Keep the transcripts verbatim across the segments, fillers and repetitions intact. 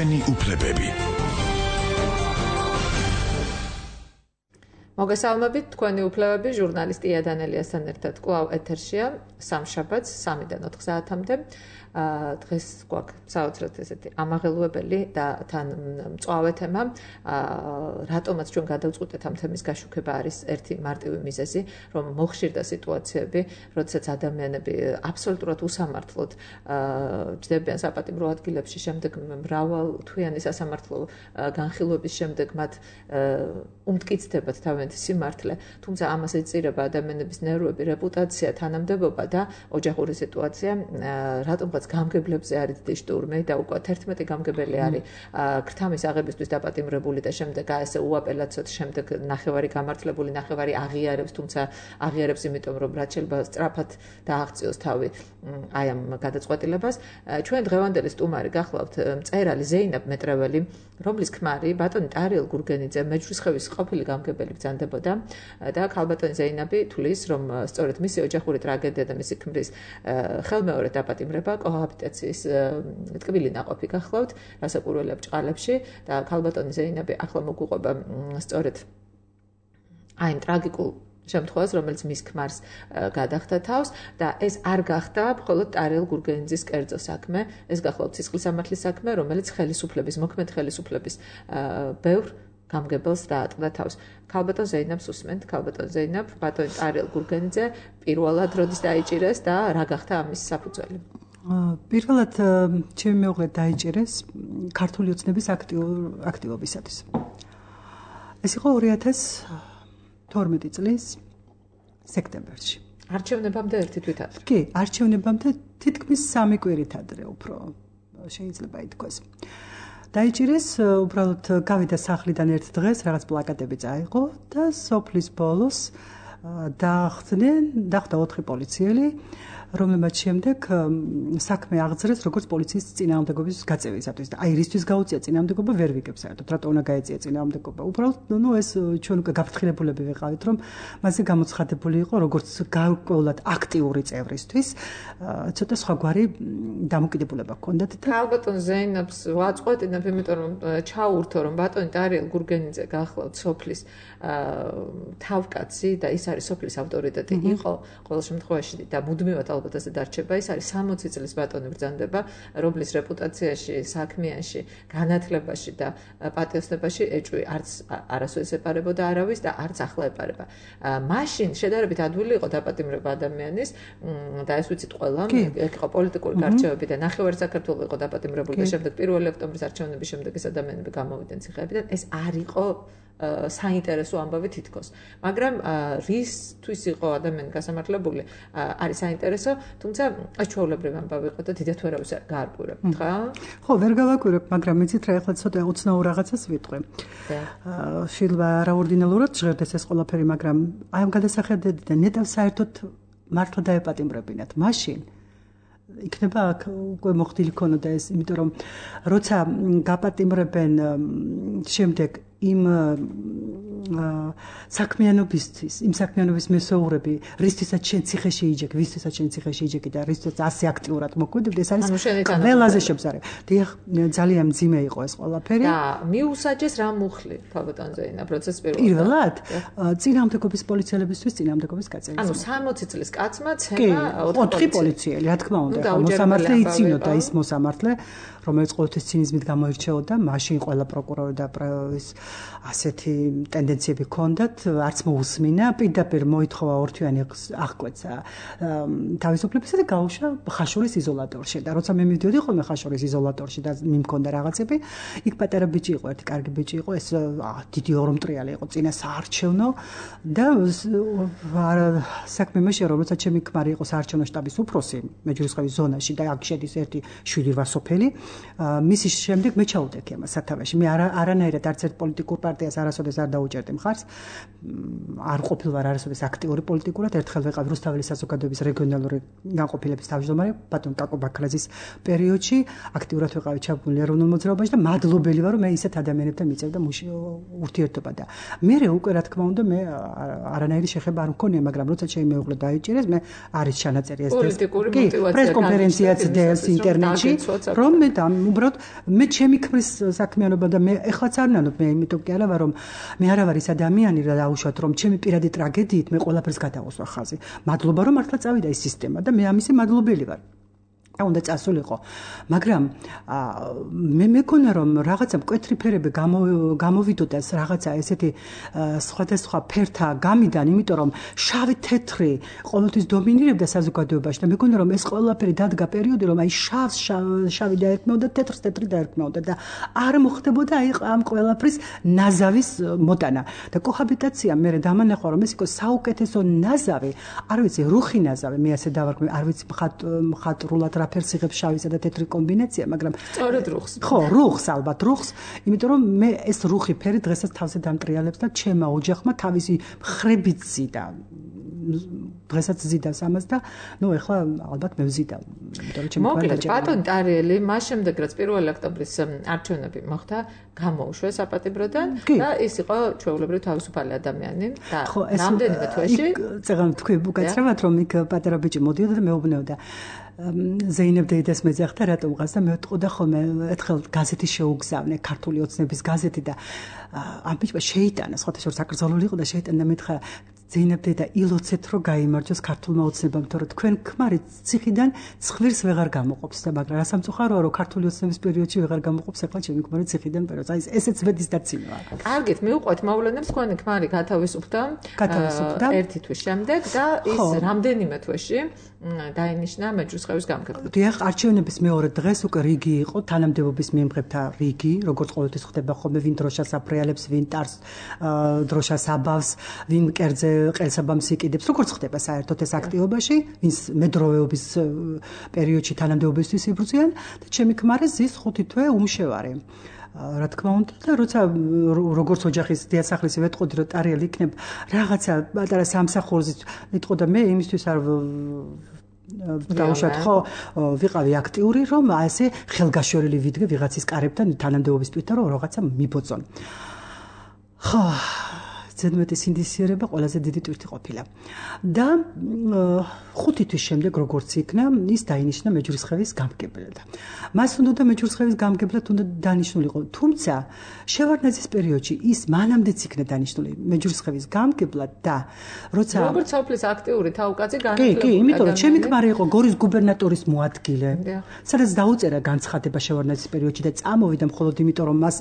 ჩვენი უფლებები. მოგესალმებით, თქვენი უფლებები ჟურნალისტი ია დანელიასთან ერთად კვლავ ეთერშია სამშაბათს სამიდან ოთხ საათამდე. დღეს გვაქვს საოცრად ესეთი ამაღელვებელი და თან მწვავე თემა. რატომაც ჩვენ გადავწყვეტეთ ამ თემის გაშუქება არის ერთი მარტივი მიზეზი, რომ მოხშირდა სიტუაციები, როდესაც ადამიანები აბსოლუტურად უსამართლოდ ჯდებიან საპატიმრო ადგილებში, შემდეგ მრავალთვიანი სასამართლო განხილვების შემდეგ მათ უმტკიცდებათ თავიანთი სიმართლე, თუმცა ამას ეწირება ადამიანების ნერვები, რეპუტაცია, თანამდებობა და ოჯახური სიტუაცია, რატომღაც გამგებლებზე არის დიდი შტურმი და უკვე თერთმეტი გამგებელი არის ქრთამის აღებისთვის დაპატიმრებული და შემდეგ ასე უაპელაციოდ შემდეგ ნახევარი გამართლებული, ნახევარი აღიარებს, თუმცა აღიარებს იმიტომ, რომ რაც შეიძლება სწრაფად დააღწიოს თავი აი ამ გადაწყვეტილებას. ჩვენ დღევანდელი სტუმარი გახლავთ მწერალი ზეინაბ მეტრეველი, რომლის ქმარი ბატონი ტარიელ გურგენიძე მეჯვრისხევის ყოფილი გამგებელი ბრძანდებოდა და ქალბატონი ზეინაბი თulis, რომ სწორედ მისი ოჯახური ტრაგედია და მისი ქმრის ხელმეორე დაპატიმრება კოჰაბიტაციის ტკბილი ნაყოფი გახლავთ რასაკვირველია ბჭყალებში და ქალბატონი ზეინაბი ახლა მოგვიყვება სწორედ აი ამ ტრაგიკულ შემთხვევას, რომელიც მის ქმარს გადახდა თავს და ეს არ გახდა მხოლოდ ტარიელ გურგენიძის კერძო საქმე, ეს გახლავთ სისხლის სამართლის საქმე, რომელიც ხელისუფლების, მოქმედ ხელისუფლების ბევრ გამგებელს დაატყდა თავს. ქალბატონ ზეინაბს უსმენთ, ქალბატონ ზეინაბ, ბატონი ტარიელ გურგენიძე პირველად როდის დაიჭირეს და რა გახდა ამის საფუძველი? პირველად ჩემი მეუღლე დაიჭირეს ქართული ოცნების აქტივობისათვის. ეს იყო ორი ათას თორმეტი წლის სექტემბერში. არჩევნებამდე ერთი თვით ადრე. კი, არჩევნებამდე თითქმის სამი კვირით ადრე უფრო შეიძლება ითქვას. დაიჭირეს, უბრალოდ გავიდა სახლიდან ერთ დღეს, რაღაც პლაკატები წაიღო და სოფლის ბოლოს დაახდნენ, დახვდა ოთხი პოლიციელი, რომლებმაც შემდეგ საქმე აღძრეს როგორც პოლიციის წინააღმდეგობის გაწევისათვის და აი რისთვის გაუწია წინააღმდეგობა ვერ ვიგებ საერთოდ, რატო უნდა გაეწია წინააღმდეგობა. უბრალოდ ნუ ეს ჩვენ უკვე გაფრთხილებულები ვიყავით, რომ მასზე გამოცხადებული იყო როგორც გარკვეულად აქტიური წევრისთვის, ცოტა სხვაგვარი დამოკიდებულება ჰქონდათ და ქალბატონ ზეინაბს ვაწყვეტინებ, იმიტომ რომ ჩაურთო, რომ ბატონი ტარიელ გურგენიძე გახლავთ სოფლის თავკაცი და ის არის სოფლის ავტორიტეტი იყო ყოველ შემთხვევაში და მუდმივად ალბათ ასე დარჩება. ის არის სამოცი წლის ბატონი ბრძანდება, რომლის რეპუტაციაში, საქმიანში, განათლებაში და პატიოსნებაში ეჭვი არც არასოდეს ეპარებოდა არავის და არც ახლა ეპარება. მაშინ შედარებით ადვილი იყო დაპატიმრება ადამიანის და ეს ვიცით ყველა, ეგ იყო პოლიტიკური გარჩევები და ნახევარი საქართველოს იყო დაპატიმრებული და შემდეგ პირველი ოქტომბრის არჩევნების შემდეგ ეს ადამიანები გამოვიდნენ ციხეებიდან. ეს არ იყო საინტერესო ამბავი თითქოს. მაგრამ რისთვის იყო ადამიანი გასამართლებული არის საინტერესო, თუმცა ჩვეულებრივი ამბავი იყო და დიდათ ვერავის გაარკვირებ, ხა? ხო, ვერ გავაკვირებ, მაგრამ იცით რა, ეხლა ცოტა უცნაურ რაღაცას ვიტყვი. შეიძლება რაორდინალურად ჟღერდეს ეს ყველაფერი, მაგრამ აი ამ გადასახედიდან ნეტავ საერთოდ მართლა დაეპატიმრებინათ. მაშინ იქნება აქ უკვე მოხდილი ქონოდა ეს, იმიტომ რომ როცა გაპატიმრებენ შემდეგ იმ საქმიანობისთვის, იმ საქმიანობის მესოურები, რისთვისაც შენ ციხეში იჯეკ, ვისთვისაც შენ ციხეში იჯეკი და რისთვისაც ასე აქტიურად მოქმედებდი, ეს არის ყველაზე შემზარე. დიახ, ძალიან მძიმე იყო ეს ყველაფერი. და მიუსაჯეს რა მუხლი, ქალბატონ ზეინაბ, პროცესს პირველად. პირველად წინააღმდეგობის პოლიციელებისთვის წინააღმდეგობის გაწევის. ანუ სამოცი წლის კაცმა ცემა ოთხი პოლიციელი, რა თქმა უნდა, მოსამართლე იცინოდა ის მოსამართლე, რომელიც ყოველთვის ცინიზმით გამოირჩეოდა, მაშინ ყველა პროკურორი და ის ასეთი ტენდენციები ჰქონდათ, არც მოусმინა, პირდაპირ მოითხოვა ორთვიანი აღკვეცა თავისუფლებისა და გაუშვა ხაშურის იზოლატორში. და როცა მე მივდიოდი ხოლმე ხაშურის იზოლატორში და მიმქონდა რაღაცები, იქ პატარა ბიჭი იყო, ერთი კარგი ბიჭი იყო, ეს დიდი ორმტრიალი იყო, წინა საარჩევნო და საქმე მეშე რომ როცა ჩემი ქმარი იყო საარჩევნო შტაბის უფროსი მეჯვრისხევის ზონაში და აქ შედის ერთი შვიდი რვა სოფელი, მისის შემდეგ მე ჩაუდექი ამას სათავეში. მე არანაირად არც ერთ პოლიტიკურ პარტიას არასოდეს არ დაუჭერდი დეპუტატი მხარს. არ ყოფილ ვარ არასოდეს აქტიური პოლიტიკურად, ერთხელ ვეყავ რუსთაველის საზოგადოების რეგიონალური განყოფილების თავმჯდომარე ბატონ კაკო ბაქრაძის პერიოდში, აქტიურად ვეყავი ჩაბმული ეროვნულ მოძრაობაში და მადლობელი ვარ, რომ მე ისეთ ადამიანებთან მიწევდა ურთიერთობა და მე უკვე რა თქმა უნდა მე არანაირი შეხება არ მქონია, მაგრამ როცა შემეუღლა დაიჭირეს, მე არის ჩანაწერი ეს პრესკონფერენციაც დელს ინტერნეტში, რომ მე და უბრალოდ მე ჩემი ქმრის საქმიანობა და მე ეხლაც არ ნანობ, მე იმიტომ კი არა ვარ, რომ მე არა ვარ ის ადამიანი რა დაუშვათ, რომ ჩემი პირადი ტრაგედიით მე ყველაფერს გადავუსვა ხაზი. მადლობა რომ მართლა წავიდა ის სისტემა და მე ამისი მადლობელი ვარ. უნდა წასულიყო, მაგრამ მე მეკონა რომ რაღაცა მკვეთრი ფერები გამოვიდოდას რაღაცა ესეთი სხვადასხვა ფერთა გამიდან, იმიტომ რომ შავი თეთრი ყოველთვის დომინირებდა საზოგადოებაში და მეკონა რომ ეს ყველაფერი დადგა პერიოდი, რომ აი შავს შავი დაერქმეოდა, თეთრს თეთრი დაერქმეოდა და არ მოხდებოდა აი ამ ყველაფრის ნაზავის მოტანა და კოჰაბიტაცია მე დამანახა რომ ეს იყო საუკეთესო ნაზავი, არ ვიცი რუხი ნაზავი, მე ასე დავარქმევ, არ ვიცი მხატვრულად რა ფერს იღებს შავისა და თეთრი კომბინაცია, მაგრამ სწორედ რუხს. ხო, რუხს ალბათ, რუხს, იმიტომ რომ მე ეს რუხი ფერი დღესაც თავზე დამტრიალებს და ჩემმა ოჯახმა თავისი ხრებით ზიდა. დღესაც ზიდავს ამას და ნუ ეხლა ალბათ მე ვზიდავ. იმიტომ რომ ჩემი მოკლედ ბატონ ტარიელი მას შემდეგ რაც პირველი ოქტომბრის არჩევნები მოხდა, გამოუშვეს საპატიმროდან და ის იყო ჩვეულებრივ თავისუფალი ადამიანი და რამდენიმე თვეში წეგან თქვი უკაცრავად რომ იქ პატარა ბიჭი მოდიოდა და მეუბნეოდა ზეინებ დეიდას მეძახდა რატომ ყავს და მე ვთყოდა ხოლმე ერთხელ გაზეთი შეუგზავნე ქართული ოცნების გაზეთი და ამ ბიჭმა შეიტანა სხვათაშორის აკრძალული იყო და შეიტანა მითხრა ზეინებ დეიდა ილოცეთ რომ გაიმარჯოს ქართულმა ოცნებამ თორე თქვენ ქმარი ციხიდან ცხვირს ვეღარ გამოყოფს და მაგრამ რა სამწუხაროა რომ ქართული ოცნების პერიოდში ვეღარ გამოყოფს ახლა ჩემი ქმარი ციხიდან პერიოდს აი ესეც ვედის დაცინოა კარგით მივყვეთ მოვლენებს თქვენი ქმარი გათავისუფლდა გათავისუფლდა ერთი თვის შემდეგ და ის რამდენიმე თვეში დაინიშნა მეჯრისხევის გამგებლად. დიახ, არჩევნების მეორე დღეს უკვე რიგი იყო, თანამდებობის მიემხრებთა რიგი, როგორც ყოველთვის ხდება ხოლმე, ვინ დროშას აფრიალებს, ვინ ტარს დროშას აბავს, ვინ კერძზე ყელსაბამს იკიდებს, როგორც ხდება საერთოდ ეს აქტივობაში, ვინც მედროვეობის პერიოდში თანამდებობისთვის იბრძვიან და ჩემი ქმარი ზის ხუთი თვე უმშევარი. რა თქმა უნდა და როცა როგორც ოჯახის დიასახლისი ვეთყოდი რომ ტარიელი იქნება რაღაცა პატარა სამსახურზე ვეთყო და მე იმისთვის არ დავუშვათ ხო ვიყავი აქტიური რომ ასე ხელგაშორილი ვიდგე ვიღაცის კარებთან თანამდებობის თვითონ რომ რაღაცა მიბოწონ ხო ზედმეტი სინდისიერება ყველაზე დიდი ტვირთი ყოფილა და ხუთი თვის შემდეგ როგორც იქნა ის დაინიშნა მეჯრისხევის გამგებლად მას უნდა მეჯრისხევის გამგებლად უნდა დანიშნულიყო თუმცა შევარდნაძის პერიოდში ის მანამდეც იქნა დანიშნული მეჯრისხევის გამგებლად და როცა როგორც სოფლის აქტიური თავკაცი განათლებული კი კი იმიტომ რომ ჩემი ქმარი იყო გორის გუბერნატორის მოადგილე სადაც დაუწერა განცხადება შევარდნაძის პერიოდში და წამოვიდა მხოლოდ იმიტომ რომ მას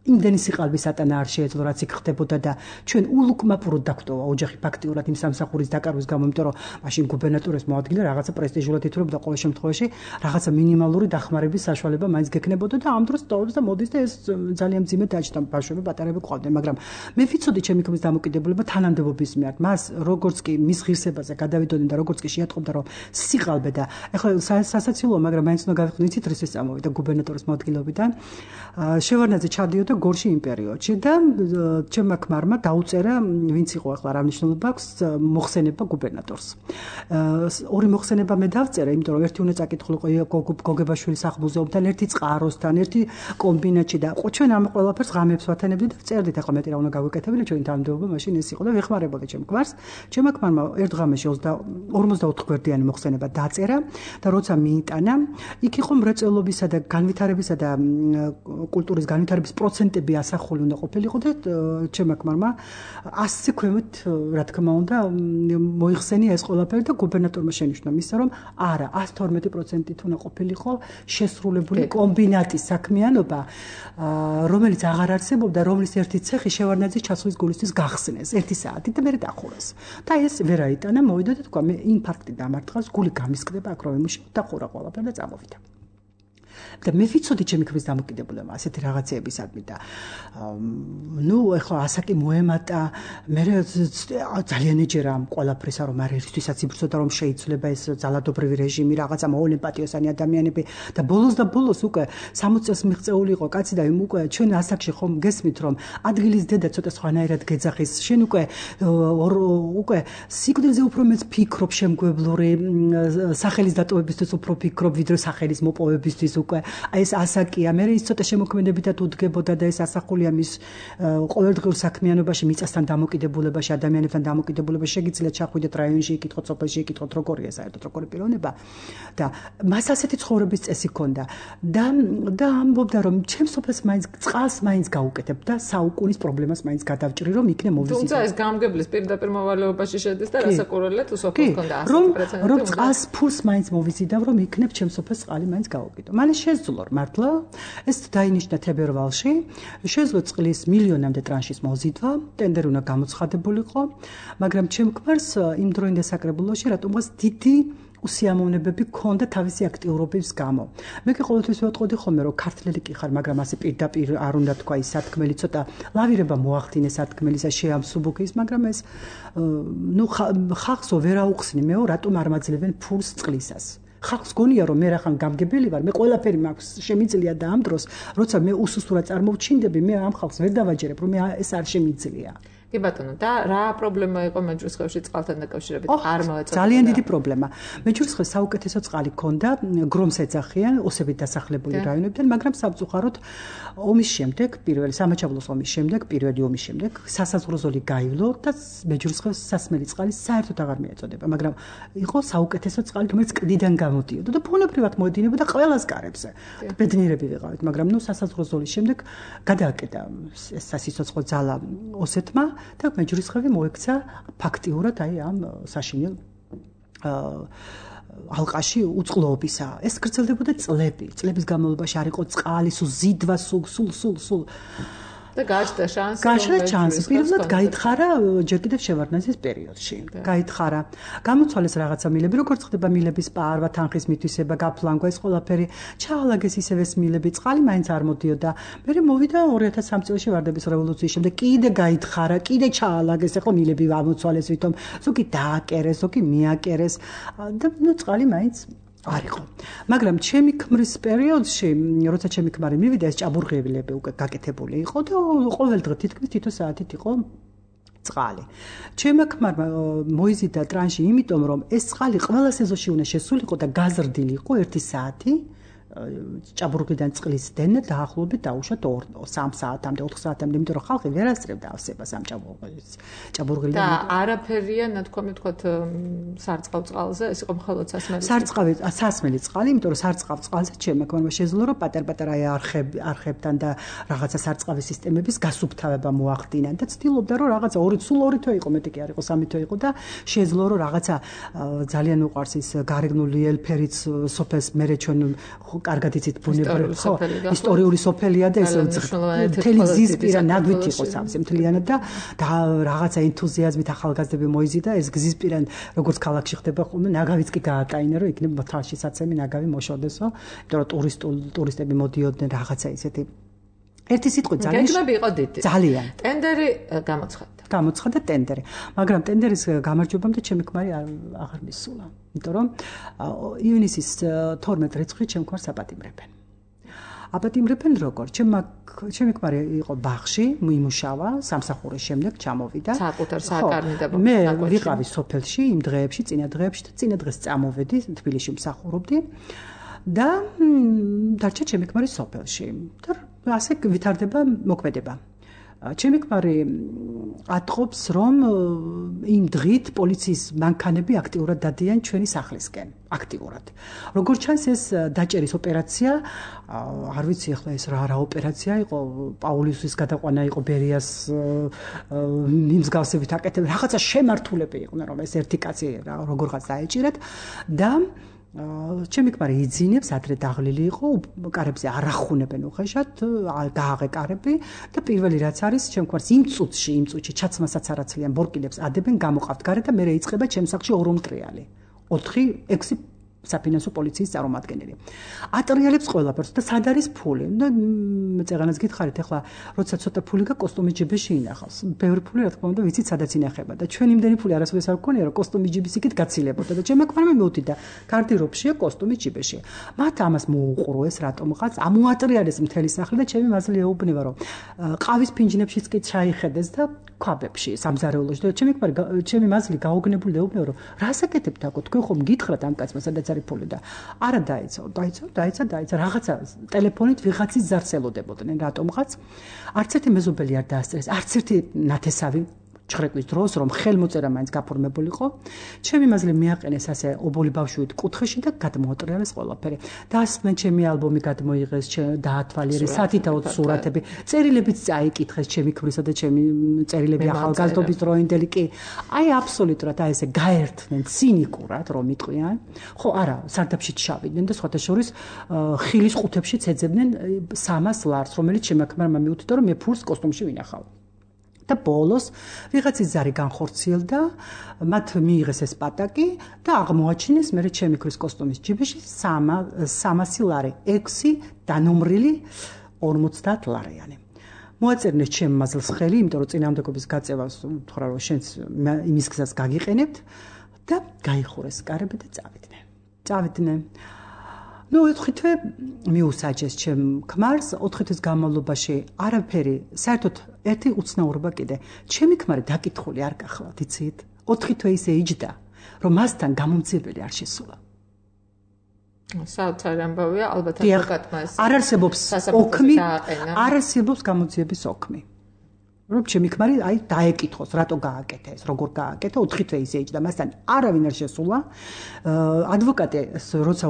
იმდენი სიყალბის ატანა არ შეეძლო რაც იქ ხდებოდა და ჩვენ ულუკმაპუროდ დაგვტოვა ოჯახი ფაქტიურად იმ სამსახურის დაკარგვის გამო იმიტომ რომ მაშინ გუბერნატორის მოადგილე რაღაცა პრესტიჟულად ითვლებოდა ყოველ შემთხვევაში რაღაცა მინიმალური დახმარების საშუალება მაინც გექნებოდა და ამ დროს ტოვებს და მოდის და ეს ძალიან მძიმე დაჭდა ბავშვები პატარები ყავდნენ მაგრამ მე ვიცოდი ჩემი ქმრის დამოკიდებულება თანამდებობის მიერ მას როგორც კი მის ღირსებაზე გადავიდოდნენ და როგორც კი შეატყობდა რომ სიყალბე და ეხლა სასაცილოა მაგრამ მაინც უნდა გავიხსნით იცით რისთვის წამოვიდა გუბერნატორის მოადგილეობიდან შევარდნაძე ჩადიოდა გორში იმ პერიოდში და ჩემმა ქმარმა დაუწერა ვინც იყო ახლა რა მნიშვნელობა აქვს მოხსენება გუბერნატორს. ორი მოხსენება მე დავწერა, იმიტომ რომ ერთი უნდა წაკითხულიყო გოგებაშვილის სახლ-მუზეუმთან, ერთი წყაროსთან, ერთი კომბინატში და ჩვენ ამ ყველაფერს ღამეებს ვათანებდით და წერდით ახლა მეტი რა უნდა გავუკეთებინა ჩვენი თანამდებობა მაშინ ეს იყო და ვეხმარებოდი ჩემ ქმარს. ჩემმა ქმარმა ერთ ღამეში ორმოცდაოთხ გვერდიანი მოხსენება დაწერა და როცა მიიტანა, იქ იყო მრეწველობისა და განვითარებისა და კულტურის განვითარების პროცენტები ასახული უნდა ყოფილიყო და ჩემმა ქმარმა ასზე ქვემოთ რა თქმა უნდა მოიხსენია ეს ყველაფერი და გუბერნატორმა შენიშნა მისცა რომ არა ას თორმეტი პროცენტით უნდა ყოფილიყო შესრულებული კომბინატის საქმიანობა რომელიც აღარ არსებობდა რომლის ერთი ცეხი შევარდნაძის ჩასვლის გულისთვის გახსნეს ერთი საათი და მე დახურეს და ეს ვერ აიტანა მოვიდა და თქვა მე ინფარქტი დამარტყავს გული გამისკდება აქ რომ იმუშავ და ხურა ყველაფერი და წამოვიდა და მე ვიცოდი ჩემი ქმრის დამოკიდებულება ასეთი რაღაცეებისადმი და ნუ ეხლა ასაკი მოემატა მე ძალიან ეჯერა ყველაფრისა რომ არ ერთვისაც იბრძოდა რომ შეიძლება ეს ძალადობრივი რეჟიმი რაღაცა მოუნეპატიოსანი ადამიანები და ბოლოს და ბოლოს უკვე სამოცი წელს მიღწეული იყო კაცი და იმ უკვე ჩვენ ასაკში ხომ გესმით რომ ადგილის დედა ცოტა სხვანაირად გეძახის შენ უკვე უკვე სიკვდილზე უფრო მეც ფიქრობ შემგვებლური სახელის დატოვებისთვის უფრო ფიქრობ ვიდრე სახელის მოპოვებისთვის უკვე აი ეს ასაკია მე ის ცოტა შემოქმედებითად უდგებოდა და ეს ასახულია მის ყოველდღიურ საქმიანობაში მიწასთან დამოკიდებულებაში ადამიანებთან დამოკიდებულებაში შეგიძლიათ ჩახვიდეთ რაიონში იკითხოთ სოფელში იკითხოთ როგორია საერთოდ როგორი პიროვნება და მას ასეთი ცხოვრების წესი ჰქონდა და და ამბობდა რომ ჩემს სოფელს მაინც წყალს მაინც გაუკეთებ და საუკუნის პრობლემას მაინც გადავჭრი რომ იქნე მოვიზიდო თუმცა ეს გამგებლის პირდაპირ მოვალეობაში შედის და რასაკვირველია თუ სოფელს ჰქონდა რომ რომ წყალს ფულს მაინც მოვიზიდავ რომ იქნებ ჩემს სოფელს წყალი მაინც გაუკეთო მალე შეძლო მართლა ეს დაინიშნა თებერვალში შეძლო წყლის მილიონამდე ტრანშის მოზიდვა ტენდერი უნდა გამოცხადებულიყო მაგრამ ჩემ ქმარს იმ დროინდე საკრებულოში რატომღაც დიდი უსიამოვნებები ქონდა თავისი აქტიურობის გამო. მე კი ყოველთვის ვეტყოდი ხოლმე რომ ქართლელი კი ხარ, მაგრამ ასე პირდაპირ არ უნდა თქვა ის სათქმელი ცოტა ლავირება მოახდინე სათქმელისა შეამსუბუქის, მაგრამ ეს ნუ ხალხსო ვერ აუხსნი მეო რატომ არ მაძლევენ ფულს წყლისას. ხალხს გონია რომ მე რახან გამგებელი ვარ, მე ყველაფერი მაქვს შემიძლია და ამ დროს, როცა მე უსუსტურად წარმოვჩინდები, მე ამ ხალხს ვერ დავაჯერებ, რომ ეს არ შემიძლია. კი ბატონო, და რა პრობლემა იყო მეჯვრისხევში წყალთან დაკავშირებით? არ მოეწოდება. ძალიან დიდი პრობლემა. მეჯვრისხევს საუკეთესო წყალი ჰქონდა, გრომს ეძახიან, ოსებით დასახლებული რაიონებიდან, მაგრამ სამწუხაროდ ომის შემდეგ, პირველი სამაჩაბლოს ომის შემდეგ, პირველი ომის შემდეგ სასაზღვრო ზოლი გაივლო და მეჯვრისხევს სასმელი წყალი საერთოდ აღარ მიეწოდება, მაგრამ იყო საუკეთესო წყალი, რომელიც კლდიდან გამოდიოდა და ბუნებრივად მოედინებოდა ყველას კარებზე. ბედნიერები ვიყავით, მაგრამ ნუ სასაზღვრო ზოლის შემდეგ გადააკეთა ეს სასიცოცხლო ძალა ოსეთმა და მეჯვრისხევი მოექცა ფაქტიურად აი ამ საშინელ ალყაში უწყლობისა. ეს გრძელდებოდა წლები. წლების განმავლობაში არ იყო წყალი, სულ ზიდვა, სულ სულ სულ სულ და გაჩნდა შანსი. გაჩნდა შანსი. პირველად გაითხარა ჯერ კიდევ შევარდნაძის პერიოდში. გაითხარა. გამოცვალეს რაღაცა მილები, როგორც ხდება მილების პარვა, თანხის მითვისება, გაფლანგვა, ეს ყველაფერი ჩაალაგეს ისევ ეს მილები, წყალი მაინც არ მოდიოდა. მერე მოვიდა ორი ათას სამი წელს ვარდების რევოლუციის შემდეგ, კიდე გაითხარა, კიდე ჩაალაგეს, ეხლა მილები ამოცვალეს ვითომ, ზოგი დააკერეს, ზოგი მიაკერეს და ნუ წყალი მაინც არ იყო. მაგრამ ჩემი ქმრის პერიოდში, როცა ჩემი ქმარი მივიდა, ეს ჭაბურღილები უკვე გაკეთებული იყო და ყოველდღე თითქმის თითო საათით იყო წყალი. ჩემი ქმარმა მოიზიდა ტრანში, იმიტომ რომ ეს წყალი ყველა სეზონში უნდა შესულიყო და გაზრდილიყო ერთი საათი. ჭაბურღიდან წყლის დენა დაახლოებით დაუშვათ სამ საათამდე, ოთხ საათამდე, იმიტომ რომ ხალხი ვერ ასწრებდა ავსებას ამ ჭაბურღილს. ჭაბურღილიდან და არაფერია, ნათქვამი თქვათ სარწყავ წყალზე, ეს იყო მხოლოდ სასმელი. სარწყავი, სასმელი წყალი, იმიტომ რომ სარწყავ წყალზე ჩემი ქმარმა შეძლო რომ პატარ-პატარა არხები, არხებთან და რაღაცა სარწყავი სისტემების გასუფთავება მოახდინა და ცდილობდა რომ რაღაცა ორი სულ ორი თვე იყო, მეტი კი არ იყო, სამი თვე იყო და შეძლო რომ რაღაცა ძალიან უყვარს ის გარეგნული ელფერიც სოფელს მერე ჩვენ კარგად იცით ბუნებრივი ხო ისტორიული სოფელია და ეს მთელი გზის პირა ნაგვით იყო სამსე მთლიანად და და რაღაცა ენთუზიაზმით ახალგაზრდები მოიზიდა ეს გზის პირა როგორც ქალაქში ხდება ხოლმე ნაგავიც კი გაატაინა რომ იქნებ თალში საცემი ნაგავი მოშოდესო იმიტომ რომ ტურისტულ ტურისტები მოდიოდნენ რაღაცა ისეთი ერთი სიტყვით ძალიან გეგმები იყო დიდი ძალიან ტენდერი გამოცხადდა გამოცხადდა ტენდერი მაგრამ ტენდერის გამარჯვებამდე ჩემი ქმარი აღარ მისულა იმიტომ რომ ივნისის თორმეტ რიცხვით ჩემ ქმარს აპატიმრებენ აპატიმრებენ როგორ ჩემი ჩემი ქმარი იყო ბაღში იმუშავა სამსახურის შემდეგ ჩამოვიდა საკუთარ საკარნიდებო მე ვიყავი სოფელში იმ დღეებში წინა დღეებში და წინა დღეს წამოვედი თბილისში მსახურობდი და დარჩა ჩემი ქმარი სოფელში და ასე ვითარდება მოქმედება ჩემი ქმარი ატყობს რომ იმ დღით პოლიციის მანქანები აქტიურად დადიან ჩვენი სახლისკენ აქტიურად როგორც ჩანს ეს დაჭერის ოპერაცია არ ვიცი ახლა ეს რა რა ოპერაცია იყო პაულუსის გადაყვანა იყო ბერიას მიმსგავსებით აკეთებენ რაღაცა შემართულები იყვნენ რომ ეს ერთი კაცი როგორღაც დაეჭირათ და ჩემი ქმარი იძინებს ადრე დაღლილი იყო კარებზე არ ახუნებენ უხეშად გააღე კარები და პირველი რაც არის ჩემ ქმარს იმ წუთში იმ წუთში ჩაცმასაც არაცლიან ბორკილებს ადებენ გამოყავთ გარე და მე რეიწყება ჩემ სახლში ორ უმტრიალი ოთხი ექვსი საფინანსო პოლიციის წარმომადგენელი. ატრიალებს ყველაფერს და სად არის ფული? და წეღანაც გითხარით, ახლა როცა ცოტა ფული გა კოსტუმი ჯიბეში ინახავს. ბევრი ფული რა თქმა უნდა ვიცით სადაც ინახება და ჩვენ იმდენი ფული არასოდეს არ გქონია რომ კოსტუმი ჯიბის იქით გაცილებოდა და ჩემ ქმარმა მეუთიდა გარდირობშია კოსტუმი ჯიბეში. მათ ამას მოუყურეს რატომღაც ამოატრიალეს მთელი სახლი და ჩემი მაზლი ეუბნება რომ ყავის ფინჯნებშიც კი ჩაიხედეს და ქვაბებში სამზარეულოში და ჩემი ქმარი ჩემი მაზლი გაოგნებული ეუბნება რომ რას აკეთებთ აქ თქვენ ხომ გითხრათ ამ კაცმა სადაც არის ფული და არა დაიცა დაიცა დაიცა დაიცა რაღაცა ტელეფონით ვიღაცის ზარს ელოდებოდნენ რატომღაც არც ერთი მეზობელი არ დაასწრეს არც ერთი ნათესავი ჩხრეკვის დროს რომ ხელმოწერა მაინც გაფორმებულიყო ჩემი მაზლი მიაყენეს ასე ობოლი ბავშვით კუთხეში და გადმოატრიალეს ყველაფერი დასმენ ჩემი ალბომი გადმოიღეს დაათვალიერეს სათითაოდ სურათები წერილებიც წაიკითხეს ჩემი ქმრისა და ჩემი წერილები ახალგაზრდობის დროინდელი კი აი აბსოლუტურად აი ესე გაერთნენ ცინიკურად რომ იტყვიან ხო არა სარდაფშიც შავიდნენ და სხვათა შორის ხილის ყუთებშიც ეძებდნენ სამას ლარს რომელიც ჩემი ქმარმა მიუთითა რომ მე ფულს კოსტუმში ვინახავ და ბოლოს ვიღაცის ზარი განხორციელდა, მათ მიიღეს ეს პატაკი და აღმოაჩინეს მე ჩემი ქრის კოსტუმის ჯიბეში სამასი ლარი, ექვსი დანომრილი ორმოცდაათ ლარიანი. მოაწერნეს ჩემ მაზლს ხელი, იმიტომ რომ წინააღმდეგობის გაწევას უთხრა რომ შენც იმის გზას გაგიყენებთ და გაიხურეს კარები და წავიდნენ. წავიდნენ. ნუ ოთხი თვე მიუსაჯეს ჩემ ქმარს, ოთხი თვის განმავლობაში არაფერი, საერთოდ ერთი უცნაურობა კიდე. ჩემი ქმარი დაკითხული არ გახლავთ, იცით? ოთხი თვე ისე იჯდა, რომ მასთან გამომძიებელი არ შესულა. საოცარი ამბავია, ალბათ ადვოკატმა ეს არ არსებობს ოქმი, არ არსებობს გამოძიების ოქმი. რომ ჩემი ქმარი აი დაეკითხოს, რატო გააკეთა ეს, როგორ გააკეთა, ოთხი თვე ისე იჯდა, მასთან არავინ არ შესულა. ადვოკატი როცა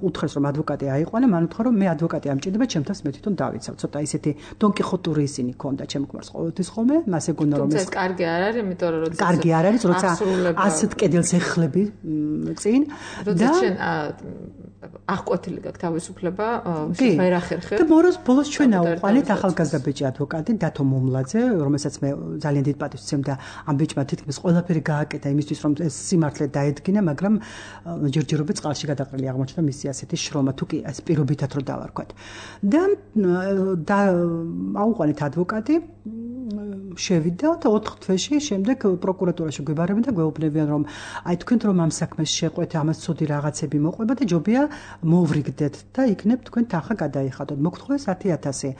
უთხრეს რომ ადვოკატი აიყვანა, მან უთხრა რომ მე ადვოკატი ამჭირდება, ჩემთანს მე თვითონ დავიცავ. ცოტა ისეთი დონკიხოტური ისინი ქონდა ჩემ ქმარს ყოველთვის ხოლმე, მას ეგონა რომ ეს კარგი არ არის, იმიტომ რომ როცა კარგი არ არის, როცა ასეთ კედელს ეხლები წინ და შენ აღკვეთილი გაქვს თავისუფლება, ვერ ახერხებ. და მოროს ბოლოს ჩვენ აუყვალეთ ახალგაზრდა ბიჭი ადვოკატი დათო მომლაძე, რომელსაც მე ძალიან დიდ პატივს ვცემ და ამ ბიჭმა თითქმის ყველაფერი გააკეთა იმისთვის, რომ ეს სიმართლე დაედგინა, მაგრამ ჯერჯერობით წყალში გადაყრილი აღმოჩნდა მისი ასეთი შრომა, თუ კი ეს პირობითად რო დავარქვათ. და და აუყვალეთ ადვოკატი შევიდა და ოთხ თვეში შემდეგ პროკურატურაში გვიბარებენ და გვეუბნებიან რომ აი თქვენ რომ ამ საქმეს შეყვეთ, ამას ცუდი რაღაცები მოყვება და ჯობია მოვრიგდეთ და იქნებ თქვენ თანხა გადაიხადოთ. მოგთხოვეს ათი ათასი.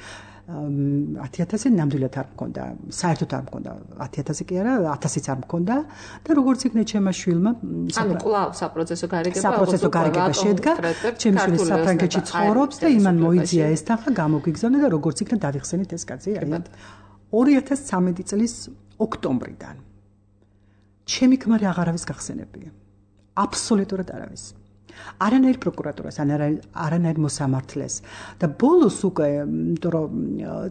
ათი ათასი ნამდვილად არ მქონდა, საერთოდ არ მქონდა, ათი ათასი კი არა, ათასიც არ მქონდა და როგორც იქნა ჩემმა შვილმა, ანუ კვლავ საპროცესო გარიგება, საპროცესო გარიგება შედგა, ჩემი შვილი საფრანგეთში ცხოვრობს და იმან მოიძია ეს თანხა გამოგვიგზავნა და როგორც იქნა დავიხსენით ეს კაცი, აი ორი ათას ცხრამეტი წლის ოქტომბრიდან. ჩემი ქმარი აღარავის გახსენებია. აბსოლუტურად არავის. არანაირ პროკურატურას, არანაირ მოსამართლეს და ბოლოს უკვე, იმიტომ რომ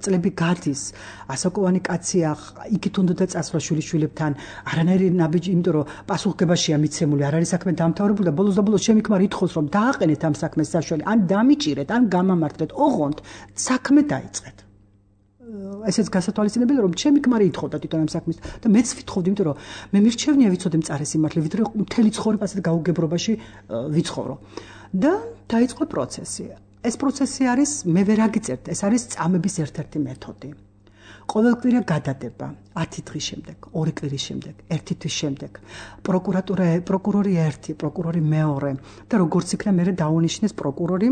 წლები გადის, ასაკოვანი კაცია, იქით უნდა წასვლა შვილიშვილებთან, არანაირი ნაბიჯი, იმიტომ რომ პასუხგებაშია მიცემული, არ არის საქმე დამთავრებული და ბოლოს და ბოლოს ჩემი ქმარი ითხოვს რომ დააყენეთ ამ საქმეს საშუალო, ან დამიჭირეთ, ან გამამართლეთ, ოღონდ საქმე დაიწყეთ. ესეც გასათვალისწინებელია რომ ჩემი ქმარი ითხოვდა თვითონ ამ საქმეს და მეც ვითხოვდი, იმიტომ რომ მე მირჩევნია ვიცოდე მწარე სიმართლე, ვიდრე მთელი ცხოვრება ასეთ გაუგებრობაში ვიცხოვრო. და დაიწყო პროცესი. ეს პროცესი არის მე ვერ აგიწერთ, ეს არის წამების ერთ-ერთი მეთოდი. ყოველკვირა გადადება ათი დღის შემდეგ, ორი კვირის შემდეგ, ერთი თვის შემდეგ. პროკურატურა, პროკურორი ერთი, პროკურორი მეორე და როგორც იქნა მე დაუნიშნეს პროკურორი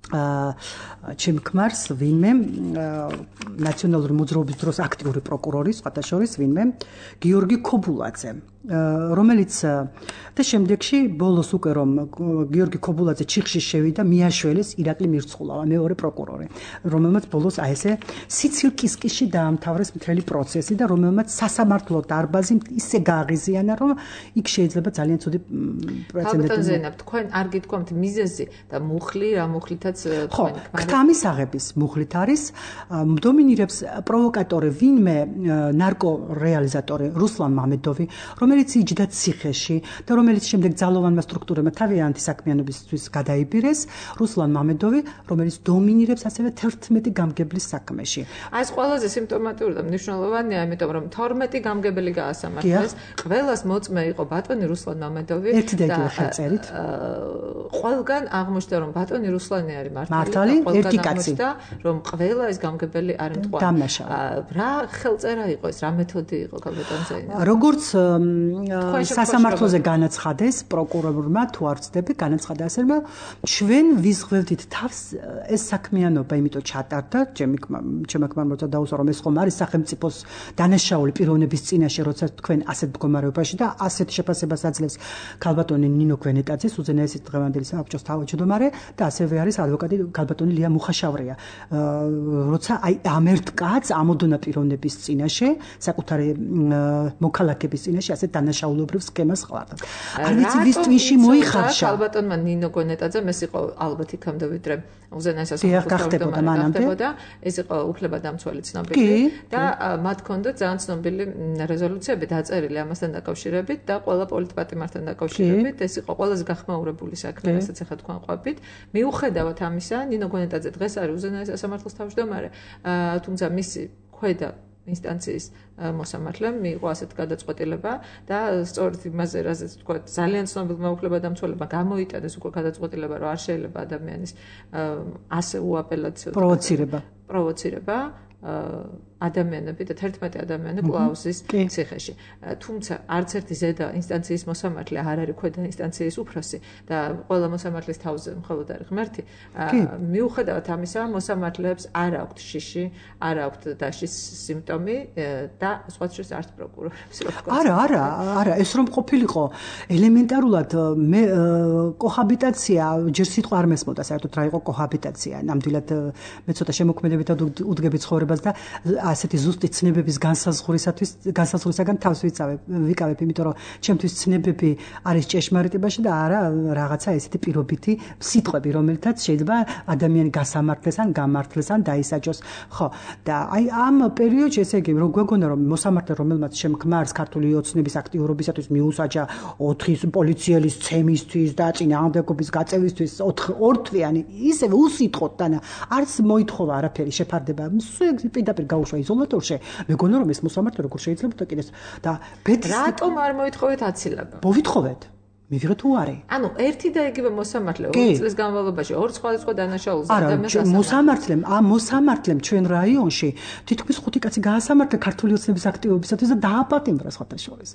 ჩემ ქმარს ვინმე ნაციონალური მოძრაობის დროს აქტიური პროკურორი, სხვათა შორის ვინმე გიორგი ქობულაძე, რომელიც და შემდეგში ბოლოს უკვე რომ გიორგი ქობულაძე ჩიხში შევიდა, მიაშველეს ირაკლი მირცხულავა, მეორე პროკურორი, რომელმაც ბოლოს აი ესე სიცილკისკიში დაამთავრეს მთელი პროცესი და რომელმაც სასამართლო დარბაზი ისე გააღიზიანა, რომ იქ შეიძლება ძალიან ცუდი პრეცედენტი. ალბათ ზენა, თქვენ არ გითქვამთ მიზეზი და მუხლი, რა მუხლითაც სადაც თქვენი ქმრის აღების მუხლით არის დომინირებს პროვოკატორი ვინმე ნარკო რეალიზატორი რუსლან მამედოვი რომელიც იჯდა ციხეში და რომელიც შემდეგ ძალოვანმა სტრუქტურებმა თავიანთი საქმიანობისთვის გადაიბირეს რუსლან მამედოვი რომელიც დომინირებს ასევე თერთმეტი გამგებლის საქმეში აი ეს ყველაზე სიმპტომატური და მნიშვნელოვანია იმიტომ რომ თორმეტი გამგებელი გაასამართლეს ყველას მოწმე იყო ბატონი რუსლან მამედოვი ერთი და იგივე ხელწერით ყველგან აღმოჩნდა რომ ბატონი რუსლანი არის მართალი ერთი კაცი და რომ ყველა ეს გამგებელი არის მტყვარი რა ხელწერა იყო ეს რა მეთოდი იყო კაპიტანზე როგორც სასამართლოზე განაცხადეს პროკურორმა თუ არ ვცდები განაცხადა ასე რომ ჩვენ ვიზღვევდით თავს ეს საქმიანობა იმიტომ ჩატარდა ჩემი ჩემი ქმარმა როცა დაუსვა რომ ეს ხომ არის სახელმწიფოს დანაშაული პიროვნების წინაშე როცა თქვენ ასეთ მდგომარეობაში და ასეთ შეფასებას აძლევს ქალბატონი ნინო გვენეტაძე უზენაესი დღევანდელი საბჭოს თავმჯდომარე და ასევე არის ადვოკატი ქალბატონი ლია მუხაშავრია როცა აი ამ ერთ კაცს ამოდონა პიროვნების წინაშე საკუთარი მოქალაქების წინაშე ასეთ დანაშაულებრივ სქემას ხლარდა არ ვიცი ვის twin-ში მოიხარშა ქალბატონმა ნინო გვენეტაძე მეს იყო ალბათ იქამდე ვიდრე უზენაესას ხდებოდა მანამდე ეს იყო უფლებადამცველი ცნობილი და მათ ჰქონდათ ძალიან ცნობილი რეზოლუციები დაწერილი ამასთან დაკავშირებით და ყველა პოლიტპატიმართან დაკავშირებით ეს იყო ყველაზე გახმაურებული საქმე რასაც ახლა თქვენ ყვებით მიუხედავად ამისა ნინო გვენეტაძე დღეს არის უზენაეს სასამართლოს თავმჯდომარე თუმცა მისი ქვედა ინსტანციის მოსამართლემ მიიღო ასეთ გადაწყვეტილება და სწორედ იმაზე რაზეც თქვა ძალიან ცნობილმა უფლებადამცველებმა გამოიტანეს უკვე გადაწყვეტილება რომ არ შეიძლება ადამიანის ასე უაპელაციო პროვოცირება პროვოცირება ადამიანები და თერთმეტი ადამიანი კლაუსის ციხეში. თუმცა არც ერთი ზედა ინსტანციის მოსამართლე არ არის ქვედა ინსტანციის უფროსი და ყველა მოსამართლის თავზე მხოლოდ არის ღმერთი. მიუხედავად ამისა, მოსამართლეებს არ აქვთ შიში, არ აქვთ დაშის სიმპტომი და სხვა შეს არც პროკურორებს. არა, არა, არა, ეს რომ ყოფილიყო ელემენტარულად მე კოჰაბიტაცია ჯერ სიტყვა არ მესმოდა საერთოდ რა იყო კოჰაბიტაცია. ნამდვილად მე ცოტა შემოქმედებითად უდგები ცხოვრებას და ასეთი ზუსტი ცნებების განსაზღვრისათვის განსაზღვრისაგან თავს ვიცავებ ვიკავებ იმიტომ რომ ჩემთვის ცნებები არის ჭეშმარიტებაში და არა რაღაცა ესეთი პირობითი სიტყვები რომელთაც შეიძლება ადამიანი გასამართლეს ან გამართლეს ან დაისაჯოს ხო და აი ამ პერიოდში ესე იგი რომ გვეგონა რომ მოსამართლე რომელმაც შემქმარს ქართული ოცნების აქტიურობისათვის მიუსაჯა ოთხი პოლიციელის ცემისთვის და წინააღმდეგობის გაწევისთვის ორთვიანი ისევე უსიტყვოდ და არც მოითხოვა არაფერი შეფარდება პირდაპირ გაუშვა იზოლატორში მეგონა რომ ეს მოსამართლე როგორ შეიძლება და კიდეს და რატომ არ მოითხოვეთ აცილება მოვითხოვეთ მივიღეთ უარი. ანუ ერთი და იგივე მოსამართლე ორი წლის განმავლობაში ორ სხვადასხვა დანაშაულზე ადამიანს არა, მოსამართლემ, ამ მოსამართლემ ჩვენ რაიონში თითქმის ხუთი კაცი გაასამართლა ქართული ოცნების აქტივობისათვის და დააპატიმრა სხვათა შორის.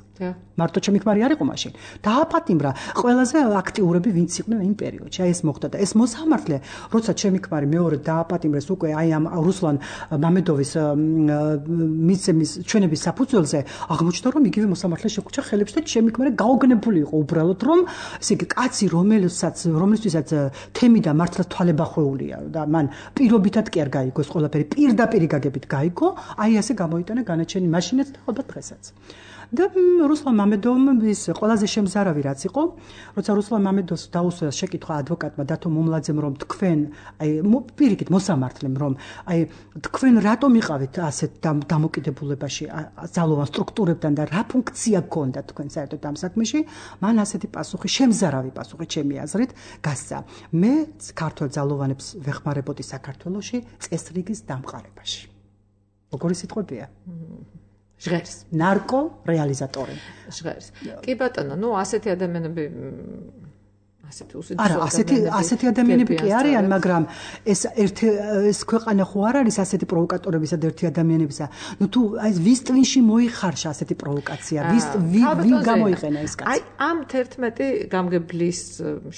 მარტო ჩემი ქმარი არ იყო მაშინ. დააპატიმრა ყველაზე აქტიურები ვინც იყვნენ იმ პერიოდში. აი ეს მოხდა და ეს მოსამართლე, როცა ჩემი ქმარი მეორე დააპატიმრეს უკვე აი ამ რუსლან მამედოვის მიცემის ჩვენების საფუძველზე, აღმოჩნდა რომ იგივე მოსამართლე შეკუჩა ხელებს და ჩემი ქმარი გაოგნებული იყო უბრალოდ რომ ესე იგი კაცი რომელსაც რომლისთვისაც თემი და მართლა თვალებახვეულია და მან პირობითად კი არ გაიგო ეს ყველაფერი პირდაპირ გაგებით გაიგო აი ასე გამოიტანა განაჩენი მაშინაც და ალბათ დღესაც და რუსლან მამედოვმა ის ყველაზე შემზარავი რაც იყო როცა რუსლან მამედოვს დაუსვა შეკითხვა ადვოკატმა დათო მომლაძემ რომ თქვენ აი პირიქით მოსამართლემ რომ აი თქვენ რატომ იყავით ასეთ დამოკიდებულებაში ძალოვან სტრუქტურებთან და რა ფუნქცია გქონდა თქვენ საერთოდ ამ საქმეში მან ასეთი პასუხი შემზარავი პასუხი ჩემი აზრით გასცა მე ქართულ ძალოვანებს ვეხმარებოდი საქართველოში წესრიგის დამყარებაში როგორი სიტყვებია ჟღერს ნარკო რეალიზატორი ჟღერს კი ბატონო ნუ ასეთი ადამიანები ასეთი უსიძულო არა ასეთი ასეთი ადამიანები კი არიან მაგრამ ეს ერთი ეს ქვეყანა ხო არ არის ასეთი პროვოკატორებისა და ერთი ადამიანებისა ნუ თუ აი ვის twin-ში მოიხარშა ასეთი პროვოკაცია ვის ვინ გამოიყენა ეს კაცი აი ამ თერთმეტი გამგებლის